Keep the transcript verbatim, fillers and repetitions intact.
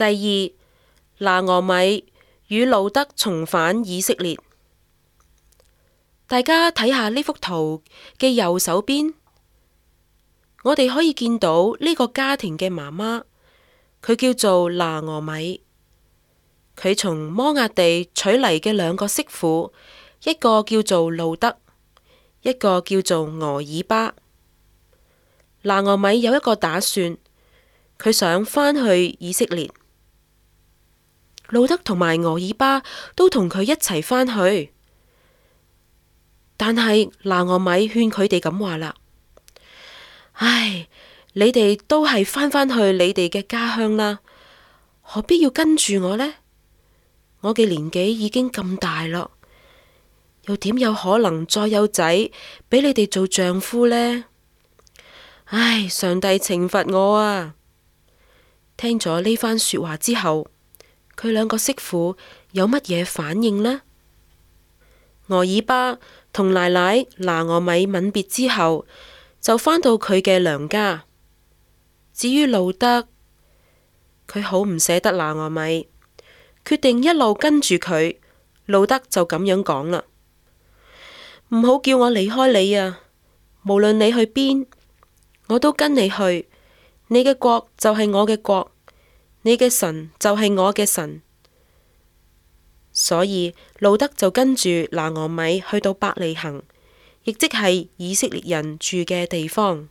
第二，拿俄米與路得重返以色列。大家睇下呢幅圖嘅右手邊，我哋可以見到呢個家庭嘅媽媽，佢叫做拿俄米。佢從摩押地娶嚟嘅兩個媳婦，一個叫做路得，一個叫做俄爾巴。拿俄米有一個打算，佢想返去以色列。路得同埋俄爾巴都同佢一齊返去，但係拿俄米勸佢哋咁話啦：唉，你哋都係返返去你哋嘅家鄉啦，何必要跟住我呢？我嘅年紀已經咁大咯，又點有可能再有仔俾你哋做丈夫呢？唉，上帝懲罰我啊！聽咗呢番說話之後，佢兩個媳婦有乜嘢反應呢？俄爾巴同奶奶拿俄米吻別之後，就返到佢嘅娘家。至於路得，佢好唔捨得拿俄米，決定一路跟住佢。路得就咁樣講啦：唔好叫我離開你啊！無論你去邊，我都跟你去。你嘅國就係我嘅國，你嘅神就係我嘅神。所以路得就跟住拿俄米去到伯利恆，亦即係以色列人住嘅地方。